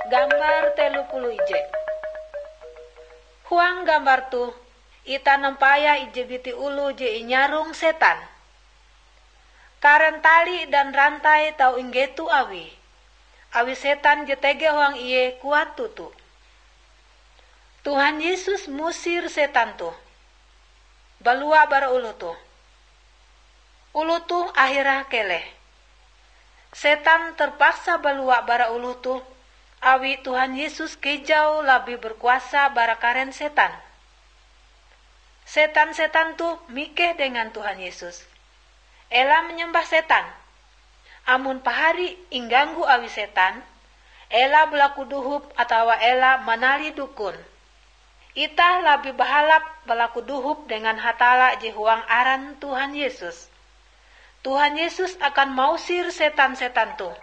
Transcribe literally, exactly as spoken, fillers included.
Gambar telu puluh ije. Huang gambar toh, itah nampayah ije biti oloh je inyarong setan. Karen tali dan rantai tau inggeto awie, awi setan je tege huang ie kuat toto. Tuhan Yesus musir setan toh, balua bara oloh toh. Oloh toh ahirae keleh. Setan terpaksa balua bara oloh toh, awi Tuhan Yesus kejau labih berkuasa bara karen setan. Setan-setan toh mikeh dengan Tuhan Yesus, "Ela manyembah setan. Amon pahari ingganggu awi setan, ela balaku dohop atawa ela manalih dukon. Itah labih bahalap balaku dohop dengan Hatalla je huang aran Tuhan Yesus." Tuhan Yesus akan mausir setan-setan toh.